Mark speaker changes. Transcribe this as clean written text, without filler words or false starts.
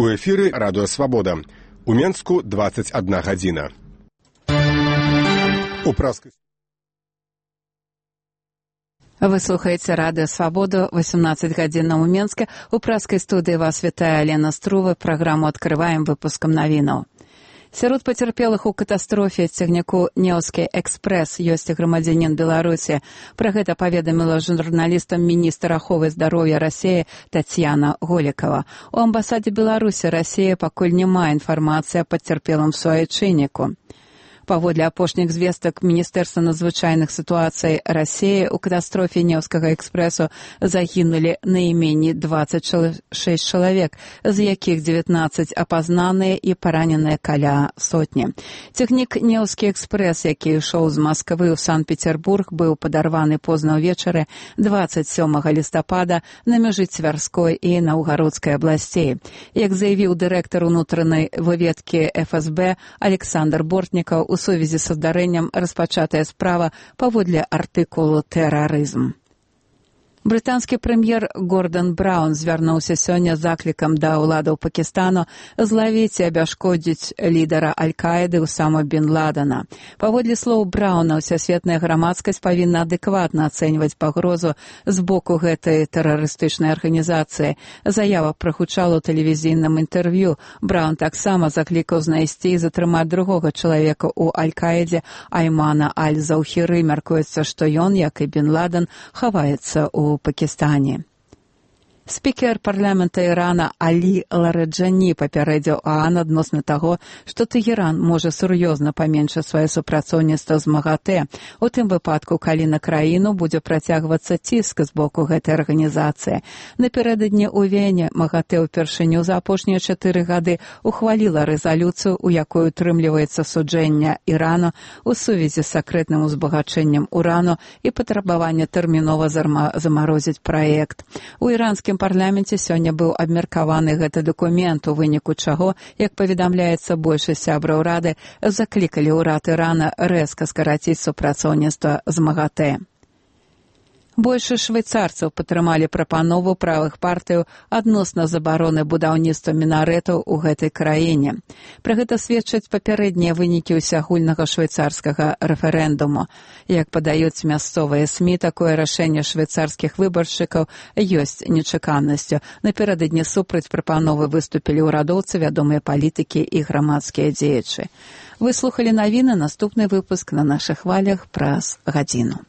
Speaker 1: У эфіры радыё Свабода. У Менску 21 гадзіна.
Speaker 2: Вы слухаеце радыё Свабоду, 18 гадзінаў у Менске. У праскай студыі вас вітае Алена Струва. Праграму адкрываем выпускам навінаў. Сярод пацярпелых у катастрофе цягніку «Неўскі экспрэс» ёсць грамадзянін Беларусі. Пра гэта паведаміла журналістам міністр аховы здароўя Расіі Тацьяна Голікава. У амбасадзе Беларусі Расіі пакуль няма інфармацыі аб пацярпелым суайчынніку. Паводле апошніх звестак Міністэрства надзвычайных сітуацый Расіі, у катастрофе «Неўскага экспрэсу» загінулі найменей 26 чалавек, з якіх 19 апазнаныя і параненыя каля сотні. Цягнік «Неўскі экспрэс», які ішоў з Масквы ў Санкт-Петербург, быў падарваны позна ўвечары 27 лістапада на мяжы Цвярской і Наўгародскай абласцей. Як заявіў дырэктар унутранай выведкі ФСБ Александр Бортнікаў, у сувязі са здарэннем распачатая справа паводле артыкулу «Тэрарызм». Брытанскі прэм'ер Гордан Браўн звярнуўся сёння з заклікам да ўладаў Пакістану злавіць і абяшкодзіць лідара Аль-Каіды Усама бен Ладена. Паводле слоў Браўна, усесветная грамадскасць павінна адэкватна ацэньваць пагрозу з боку гэтай тэрарыстычнай арганізацыі. Заява прагучала ў тэлевізійным інтэрв'ю. Браўн таксама заклікаў знайсці і затрымаць другога чалавека ў Аль-Каідзе Аймана Аль-Заўхіры. Мяркуецца, што ён, як і бен Ладен, хаваецца ў Пакістане. Спікер парламента Ірана Алі Лараджані папярэдзіў ОАН адносна таго, што Тэгеран можа сур'ёзна паменшыць сваё супрацоўніцтва з МАГАТЭ, у тым выпадку, калі на краіну будзе працягвацца ціск з боку гэтай арганізацыі. Напярэдадні ў Вене МАГАТЭ ўпершыню за апошнія 4 гады ухваліла рэзалюцыю, у якой утрымліваецца суджэнне Ірану у сувязі з сакрэтным узбагачэннем урану і патрабаванне тэрмінова замарозіць праект. У іранскім парламенце сёння быў абмеркаваны гэты дакумент, у выніку чаго, як паведамляецца, большасць сябраў рады заклікалі ўрад Ірана рэзка скараціць супрацоўніцтва з МАГАТЭ. Большасць швейцарцаў падтрымалі прапанову правых партыяў адносна забароны будаўніцтва мінарэтаў у гэтай краіне. Пра гэта сведчаць папярэднія вынікі ўсеагульнага швейцарскага рэферэндуму. Як падаюць мясцовыя СМІ, такое рашэнне швейцарскіх выбаршчыкаў ёсць нечаканасцю. Напярэдадні супраць прапановы выступілі ўрадоўцы, вядомыя палітыкі і грамадскія дзеячы. Вы слухалі навіны, наступны выпуск на нашых хвалях праз гадзіну.